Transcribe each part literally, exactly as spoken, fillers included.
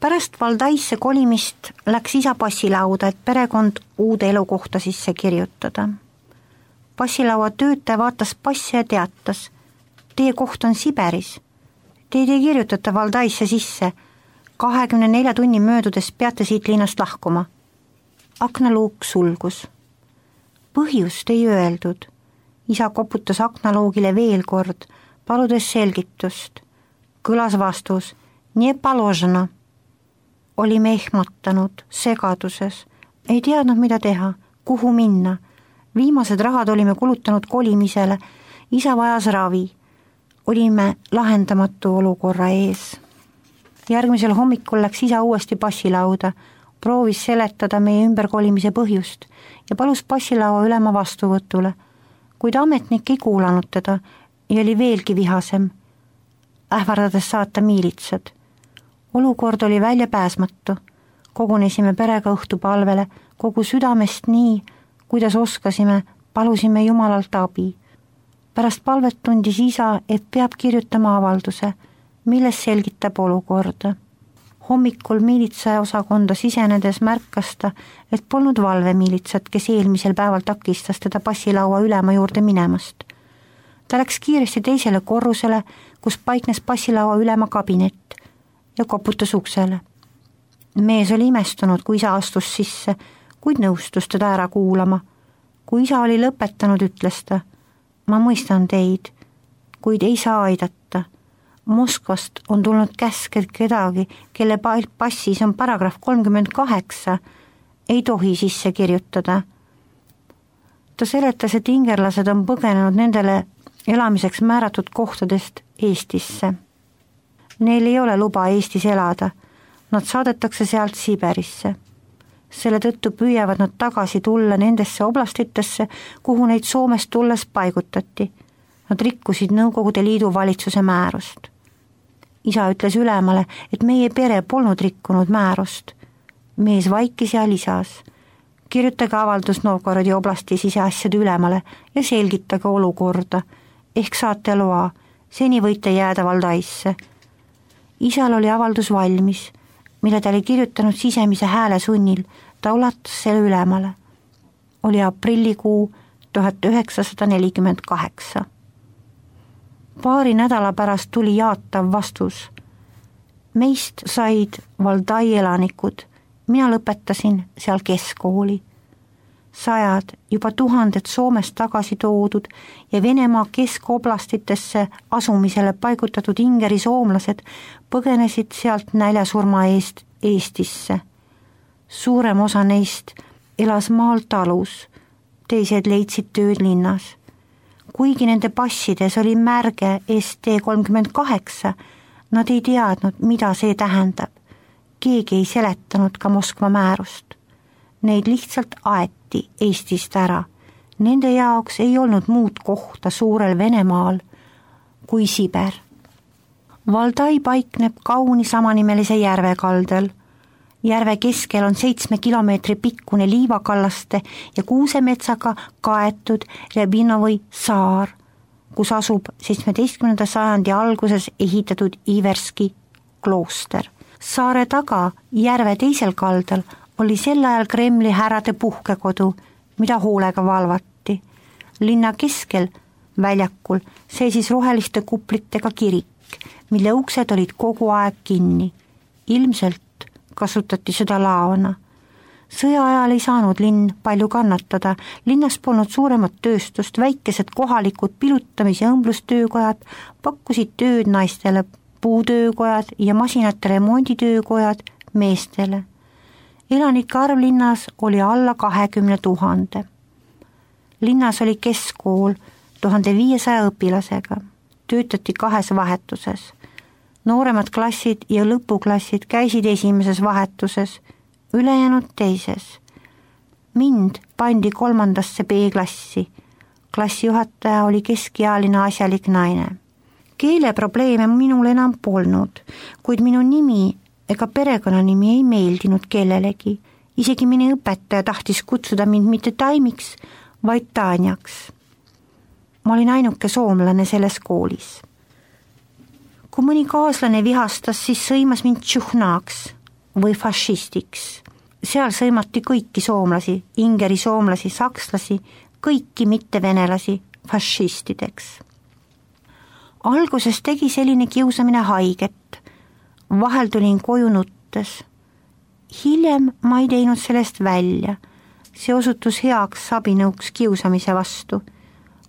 Pärast Valdaisse kolimist läks isa passilauda, et perekond uude elukohta sisse kirjutada. Passilaua töötaja vaatas passi ja teatas, teie koht on Siberis. Teid ei kirjutata Valdaisse sisse. kahekümne nelja tunni möödudes peate siit linnast lahkuma. Aknaluuk sulgus. Põhjust ei öeldud. Isa koputas aknaluugile veel kord, paludes selgitust. Kõlas vastus, nii paložena. Olime ehmatanud, segaduses. Ei teadnud, mida teha, kuhu minna. Viimased rahad olime kulutanud kolimisele. Isa vajas ravi. Olime lahendamatu olukorra ees. Järgmisel hommikul läks isa uuesti passilauda, proovis seletada meie ümberkolimise põhjust ja palus passilaua ülema vastuvõtule, kuid ametnik ei kuulanud teda ja oli veelgi vihasem, ähvardades saata miilitsad. Olukord oli väljapääsmatu. Kogunesime perega õhtupalvele, kogu südamest nii, kuidas oskasime, palusime Jumalalt abi. Pärast palvet tundis isa, et peab kirjutama avalduse, milles selgitab olukorda. Hommikul miilitsaosakonda sisenedes märkas ta, et polnud valvemiilitsat, kes eelmisel päeval takistas teda passilaua ülema juurde minemast. Ta läks kiiresti teisele korrusele, kus paiknes passilaua ülema kabinet ja koputas uksele. Mees oli imestunud, kui isa astus sisse, kuid nõustus teda ära kuulama. Kui isa oli lõpetanud, ütles ta, ma mõistan teid, kuid ei saa aidata. Moskvast on tulnud käsk, et kedagi, kelle passis on paragrahv kolmkümmend kaheksa, ei tohi sisse kirjutada. Ta seletas, et ingerlased on põgenenud nendele elamiseks määratud kohtadest Eestisse. Neil ei ole luba Eestis elada, nad saadetakse sealt Siberisse. Selle tõttu püüavad nad tagasi tulla nendesse oblastitesse, kuhu neid Soomest tulles paigutati. Nad rikkusid Nõukogude Liidu valitsuse määrust. Isa ütles ülemale, et meie pere polnud rikkunud määrust. Mees vaikis ja lisas. Kirjutage avaldus Novgorodi oblasti siseasjade ülemale ja selgitage olukorda. Ehk saate loa, seni võite jääda Valdaisse. Isal oli avaldus valmis, mille ta oli kirjutanud sisemise hääle sunnil, ta ulatas selle ülemale. Oli aprillikuu tuhat üheksasada nelikümmend kaheksa. Paari nädala pärast tuli jaatav vastus. Meist said Valdai elanikud, mina lõpetasin seal keskkooli. Sajad, juba tuhanded Soomest tagasi toodud ja Venemaa keskoblastitesse asumisele paigutatud ingeri soomlased põgenesid sealt näljasurma eest Eestisse. Suurem osa neist elas maal talus, teised leidsid tööd linnas. Kuigi nende passides oli märge S T kolmkümmend kaheksa, nad ei teadnud, mida see tähendab. Keegi ei seletanud ka Moskva määrust. Neid lihtsalt aeti Eestist ära. Nende jaoks ei olnud muud kohta suurel Venemaal kui Siber. Valdai paikneb kauni samanimelise järve kaldal. Järve keskel on seitsme kilomeetri pikkune liivakallaste ja kuusemetsaga kaetud Rebinovi saar, kus asub seitsmeteistkümnenda sajandi alguses ehitatud Iverski klooster. Saare taga järve teisel kaldal oli sel ajal Kremli härrade puhkekodu, mida hoolega valvati. Linna keskel, väljakul, seisis roheliste kuplitega kirik, mille uksed olid kogu aeg kinni. Ilmselt kasutati seda laona. Sõja ajal ei saanud linn palju kannatada, linnas polnud suuremat tööstust, väikesed kohalikud pilutamis- ja õmblustöökojad pakkusid tööd naistele, puutöökojad ja masinate remonditöökojad meestele. Elanike arv linnas oli alla kahekümne tuhande. Linnas oli keskkool tuhande viiesaja õpilasega, töötati kahes vahetuses. Nooremad klassid ja lõpuklassid käisid esimeses vahetuses, ülejäänud teises. Mind pandi kolmandasse B-klassi. Klassijuhataja oli keskealine asjalik naine. Keeleprobleeme minul enam polnud, kuid minu nimi ega perekonnanimi ei meeldinud kellelegi. Isegi minu õpetaja tahtis kutsuda mind mitte Taimiks, vaid Tanjaks. Ma olin ainuke soomlane selles koolis. Kui mõni kaaslane vihastas, siis sõimas mind tšuhnaaks, või fašistiks. Seal sõimati kõiki soomlasi, ingeri soomlasi, sakslasi, kõiki mittevenelasi fašistideks. Alguses tegi selline kiusamine haiget. Vahel tulin koju nuttes. Hiljem ma ei teinud sellest välja. See osutus heaks abinõuks kiusamise vastu.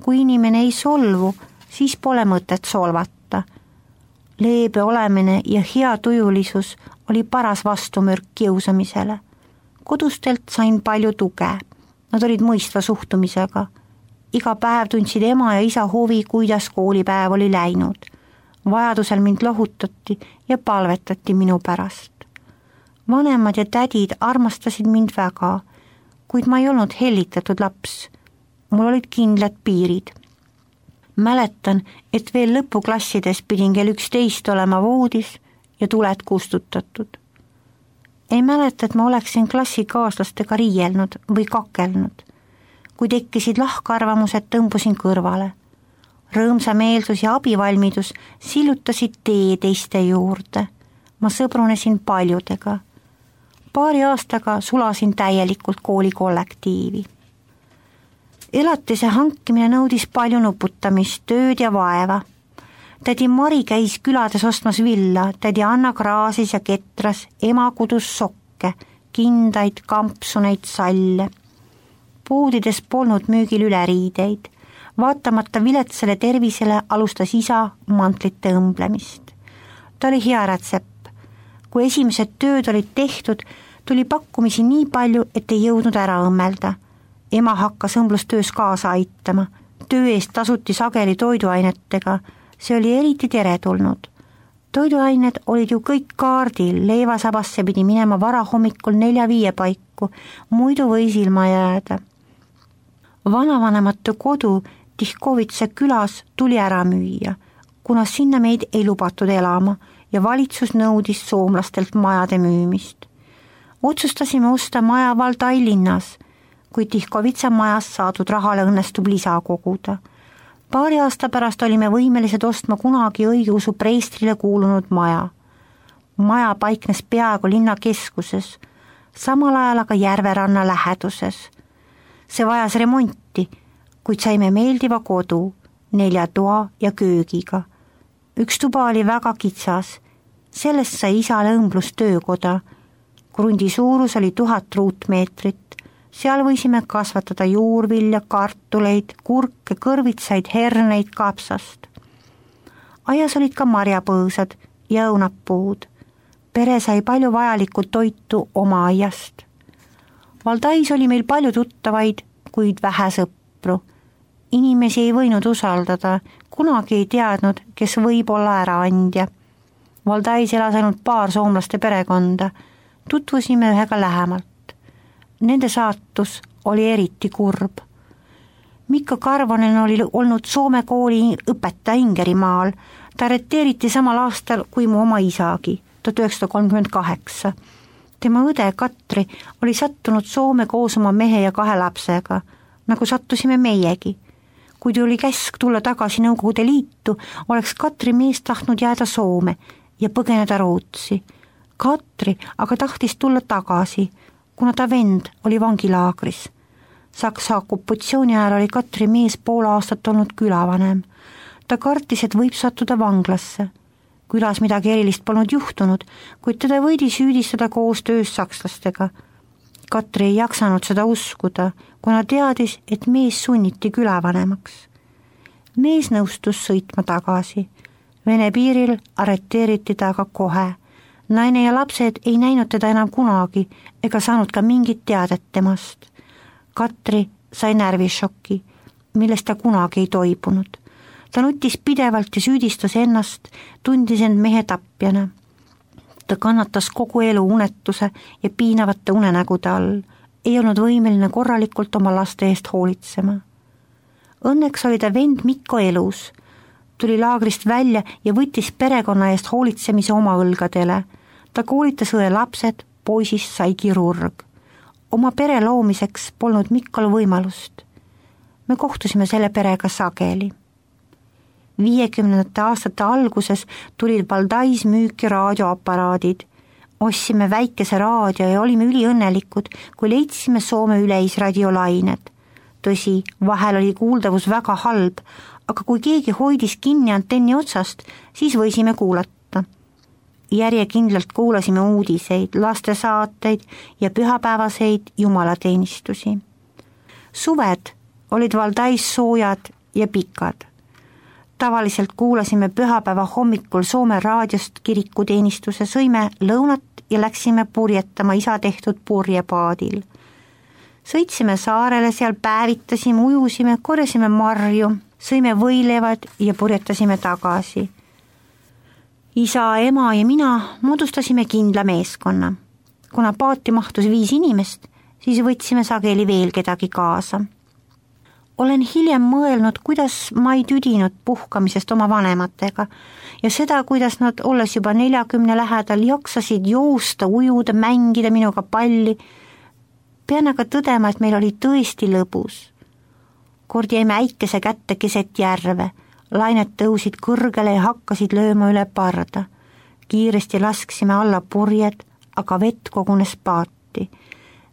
Kui inimene ei solvu, siis pole mõtet solvata. Leebe olemine ja hea tujulisus oli paras vastumürk kiusamisele. Kodustelt sain palju tuge. Nad olid mõistva suhtumisega. Iga päev tundsid ema ja isa huvi, kuidas koolipäev oli läinud. Vajadusel mind lohutati ja palvetati minu pärast. Vanemad ja tädid armastasid mind väga, kuid ma ei olnud hellitatud laps. Mul olid kindlad piirid. Mäletan, et veel lõpuklassides pidin kell üksteist olema voodis ja tuled kustutatud. Ei mäleta, et ma oleksin klassikaaslastega riielnud või kakelnud. Kui tekkisid lahkarvamused, tõmbusin kõrvale. Rõõmsa meelsus ja abivalmidus sillutasid tee teiste juurde. Ma sõbrunesin paljudega. Paari aastaga sulasin täielikult kooli kollektiivi. Elatise hankimine nõudis palju nuputamist, tööd ja vaeva. Tädi Mari käis külades ostmas villa, tädi Anna kraasis ja ketras, ema kudus sokke, kindaid, kampsuneid, salle. Poodides polnud müügil üleriideid. Vaatamata viletsale tervisele alustas isa mantlite õmblemist. Ta oli hea rätsepp. Kui esimesed tööd olid tehtud, tuli pakkumisi nii palju, et ei jõudnud ära õmmelda. Ema hakkas õmblustöös kaasa aitama. Töö eest tasuti sageli toiduainetega. See oli eriti teretulnud. Toiduained olid ju kõik kaardil, leivasabasse pidi minema vara hommikul nelja-viie paiku, muidu võis ilma jääda. Vanavanemate kodu Tihkovitse külas tuli ära müüa, kuna sinna meid ei lubatud elama ja valitsus nõudis soomlastelt majade müümist. Otsustasime osta maja Valdai linnas, kui Tihkovitsa majas saadud rahale õnnestub lisa koguda. Paari aasta pärast olime võimelised ostma kunagi õigeusu preestrile kuulunud maja. Maja paiknes peaaegu linna keskuses, samal ajal aga järveranna läheduses. See vajas remonti, kuid saime meeldiva kodu, nelja toa ja köögiga. Üks tuba oli väga kitsas, sellest sai isale õmblustöökoda. Krundi suurus oli tuhat ruutmeetrit. Seal võisime kasvatada juurvilja, kartuleid, kurke, kõrvitsaid, herneid, kapsast. Aias olid ka marjapõõsad ja õunapuud. Pere sai palju vajalikku toitu oma aiast. Valdais oli meil palju tuttavaid, kuid vähe sõpru. Inimesi ei võinud usaldada, kunagi ei teadnud, kes võib olla äraandja. Valdais elas ainult paar soomlaste perekonda. Tutvusime ühega lähemalt. Nende saatus oli eriti kurb. Mikko Karvonen oli olnud Soome kooli õpetaja Ingerimaal. Ta arreteeriti samal aastal kui mu oma isagi, tuhat üheksasada kolmkümmend kaheksa. Tema õde Katri oli sattunud Soome koos oma mehe ja kahe lapsega, nagu sattusime meiegi. Kui tuli käsk tulla tagasi Nõukogude Liitu, oleks Katri mees tahtnud jääda Soome ja põgeneda Rootsi. Katri aga tahtis tulla tagasi, kuna ta vend oli vangilaagris. Saksa okupatsiooni ajal oli Katri mees pool aastat olnud külavanem. Ta kartis, et võib sattuda vanglasse. Külas midagi erilist polnud juhtunud, kuid teda võidi süüdistada koostöös sakslastega. Katri ei jaksanud seda uskuda, kuna teadis, et mees sunniti külavanemaks. Mees nõustus sõitma tagasi. Vene piiril arreteeriti ta aga kohe. Naine ja lapsed ei näinud teda enam kunagi ega saanud ka mingit teadet temast. Katri sai närvišokki, millest ta kunagi ei toibunud. Ta nutis pidevalt ja süüdistas ennast, tundis end mehe tapjana. Ta kannatas kogu elu unetuse ja piinavate unenägude all, ei olnud võimeline korralikult oma laste eest hoolitsema. Õnneks oli ta vend Mikko elus. Tuli laagrist välja ja võttis perekonna eest hoolitsemise oma õlgadele. Ta koolitas õe lapsed, poisist sai kirurg. Oma pere loomiseks polnud Mikkol võimalust. Me kohtusime selle perega sageli. viiekümnendate aastate alguses tulid Valdais müüki raadioaparaadid. Ostsime väikese raadio ja olime üliõnnelikud, kui leidsime Soome üleisradiolained. Tõsi, vahel oli kuuldavus väga halb, aga kui keegi hoidis kinni antenni otsast, siis võisime kuulata. Järjekindlalt kuulasime uudiseid, lastesaateid ja pühapäevaseid jumalateenistusi. Suved olid Valdais soojad ja pikad. Tavaliselt kuulasime pühapäeva hommikul Soome raadiost kirikuteenistuse, sõime lõunat ja läksime purjetama isa tehtud purjepaadil. Sõitsime saarele, seal päevitasime, ujusime, korjasime marju, sõime võilevad ja purjetasime tagasi. Isa, ema ja mina moodustasime kindla meeskonna. Kuna paati mahtus viis inimest, siis võtsime sageli veel kedagi kaasa. Olen hiljem mõelnud, kuidas ma ei tüdinud puhkamisest oma vanematega ja seda, kuidas nad, olles juba neljakümne lähedal, jaksasid joosta, ujuda, mängida minuga palli. Pean aga tõdema, et meil oli tõesti lõbus. Kord jäime äikese kätte keset järve, lained tõusid kõrgele ja hakkasid lööma üle parda. Kiiresti lasksime alla purjed, aga vett kogunes paati.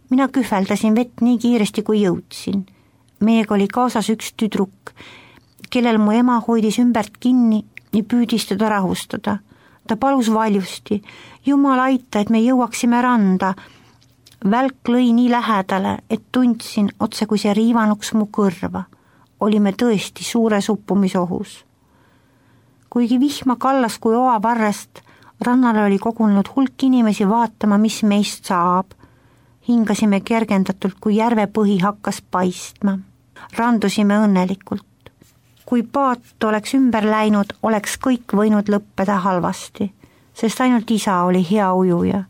Mina kühveldasin vett nii kiiresti, kui jõudsin. Meiega oli kaasas üks tüdruk, kellel mu ema hoidis ümbert kinni ja püüdis teda rahustada. Ta palus valjusti, Jumal aita, et me jõuaksime randa. Välk lõi nii lähedale, et tundsin otse, kui see riivanuks mu kõrva. Olime tõesti suures uppumisohus. Kuigi vihma kallas kui oa varrest, rannale oli kogunenud hulk inimesi vaatama, mis meist saab. Hingasime kergendatult, kui järve põhi hakkas paistma. Randusime õnnelikult. Kui paat oleks ümber läinud, oleks kõik võinud lõppeda halvasti, sest ainult isa oli hea ujuja.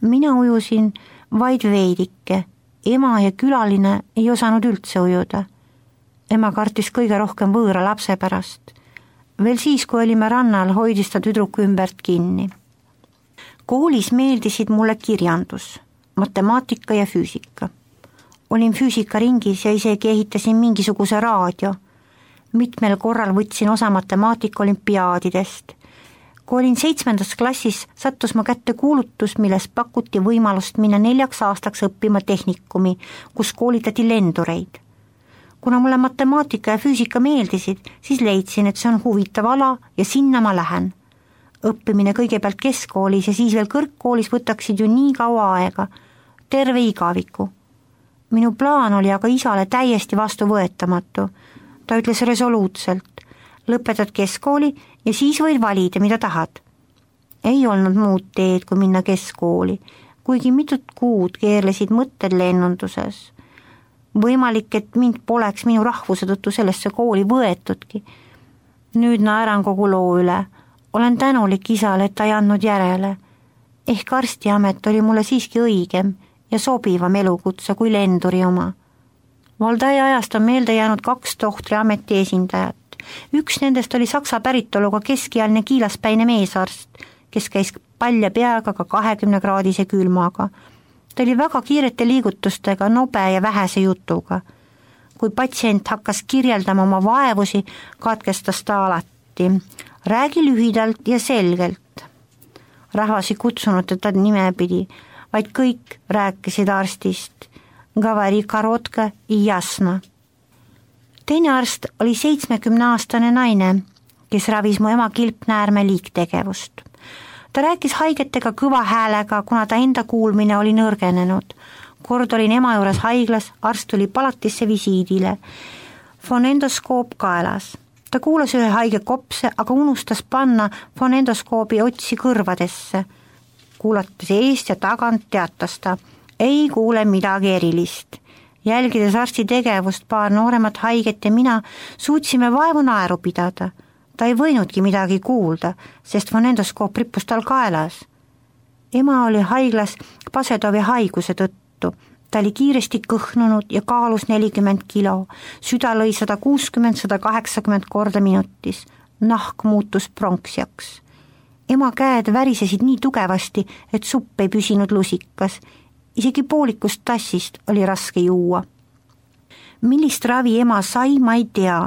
Mina ujusin vaid veidike, ema ja külaline ei osanud üldse ujuda. Ema kartis kõige rohkem võõra lapse pärast. Veel siis, kui olime rannal, hoidis ta tüdruku ümbert kinni. Koolis meeldisid mulle kirjandus, matemaatika ja füüsika. Olin füüsikaringis ja isegi ehitasin mingisuguse raadio. Mitmel korral võtsin osa matemaatika olümpiaadidest. Kui olin seitsmendas klassis, sattus ma kätte kuulutus, milles pakuti võimalust minna neljaks aastaks õppima tehnikumi, kus koolitati lendureid. Kuna mulle matemaatika ja füüsika meeldisid, siis leidsin, et see on huvitav ala ja sinna ma lähen. Õppimine kõigepealt keskkoolis ja siis veel kõrgkoolis võtaksid ju nii kaua aega, terve igaviku. Minu plaan oli aga isale täiesti vastuvõetamatu. Ta ütles resoluutselt, lõpetad keskkooli ja siis võid valida, mida tahad. Ei olnud muud teed, kui minna keskkooli, kuigi mitut kuud keerlesid mõtted lennunduses. Võimalik, et mind poleks minu rahvuse tõttu sellesse kooli võetudki. Nüüd naeran kogu loo üle. Olen tänulik isale, et ta ei andnud järele. Ehk arstiamet oli mulle siiski õigem ja sobivam elukutse kui lenduri oma. Valdai ajast on meelde jäänud kaks tohtriameti esindajat. Üks nendest oli saksa päritoluga keskealine kiilaspäine meesarst, kes käis palja peaga ka kahekümne kraadise külmaga. Ta oli väga kiirete liigutustega, nobe ja vähese jutuga. Kui patsient hakkas kirjeldama oma vaevusi, katkestas ta alati. Räägi lühidalt ja selgelt. Rahvas ei kutsunud teda nimepidi, vaid kõik rääkisid arstist. Gavari karotka ja jasna. Teine arst oli seitsmekümneaastane naine, kes ravis mu ema kilpnäärme liiktegevust. Ta rääkis haigetega kõva häälega, kuna ta enda kuulmine oli nõrgenenud. Kord olin ema juures haiglas, arst tuli palatisse visiidile. Fonendoskoop kaelas. Ta kuulas ühe haige kopse, aga unustas panna fonendoskoobi otsi kõrvadesse. Kuulates eest ja tagant teatas ta, ei kuule midagi erilist. Jälgides arsti tegevust, paar nooremat haiget ja mina suutsime vaevu naeru pidada. Ta ei võinudki midagi kuulda, sest fonendoskoop rippus tal kaelas. Ema oli haiglas Pasedovi haiguse tõttu. Ta oli kiiresti kõhnunud ja kaalus nelikümmend kilo. Süda lõi sada kuuskümmend sada kaheksakümmend korda minutis. Nahk muutus pronksiaks. Ema käed värisesid nii tugevasti, et supp ei püsinud lusikas. Isegi poolikust tassist oli raske juua. Millist ravi ema sai, ma ei tea.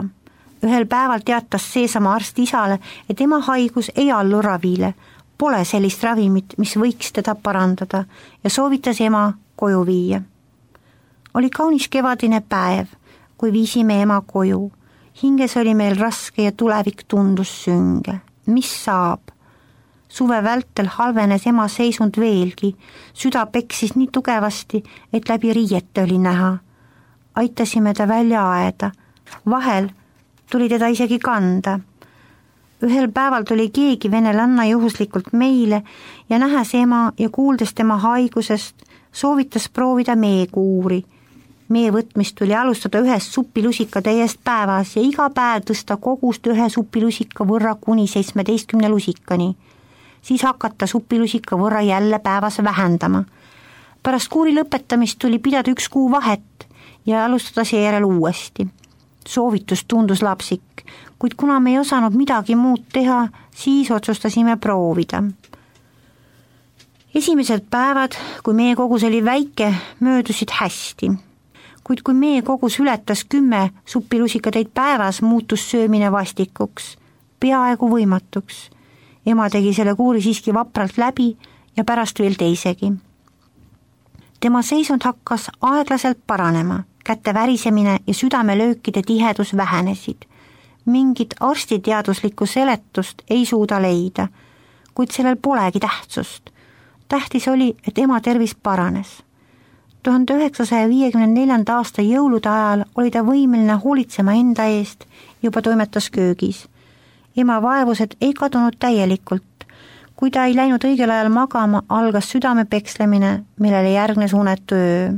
Ühel päeval teatas seesama arst isale, et ema haigus ei allu ravile. Pole sellist ravimit, mis võiks teda parandada ja soovitas ema koju viia. Oli kaunis kevadine päev, kui viisime ema koju. Hinges oli meil raske ja tulevik tundus sünge. Mis saab? Suve vältel halvenes ema seisund veelgi. Süda peksis nii tugevasti, et läbi riiete oli näha. Aitasime ta välja aeda. Vahel tuli teda isegi kanda. Ühel päeval tuli keegi venelanna juhuslikult meile ja nähes ema ja kuuldes tema haigusest, soovitas proovida meekuuri. Mee võtmist tuli alustada ühest supilusika täiest päevas ja iga päev tõsta kogust ühe supilusika võrra kuni seitsmeteistkümne lusikani. Siis hakata supilusika võrra jälle päevas vähendama. Pärast kuuri lõpetamist tuli pidada üks kuu vahet ja alustada seejärel uuesti. Soovitus tundus lapsik, kuid kuna me ei osanud midagi muud teha, siis otsustasime proovida. Esimesed päevad, kui meie kogus oli väike, möödusid hästi. Kuid kui meie kogus ületas kümme supilusikateid päevas, muutus söömine vastikuks, peaaegu võimatuks. Ema tegi selle kuuri siiski vapralt läbi ja pärast veel teisegi. Tema seisund hakkas aeglaselt paranema, kätte värisemine ja südamelöökide tihedus vähenesid. Mingit arstiteaduslikku seletust ei suuda leida, kuid sellel polegi tähtsust. Tähtis oli, et ema tervis paranes. tuhande üheksasaja viiekümne neljanda aasta jõulude ajal oli ta võimeline hoolitsema enda eest, juba toimetas köögis. Ema vaevused ei kadunud täielikult. Kui ta ei läinud õigel ajal magama, algas südame pekslemine, millele järgnes unetu öö.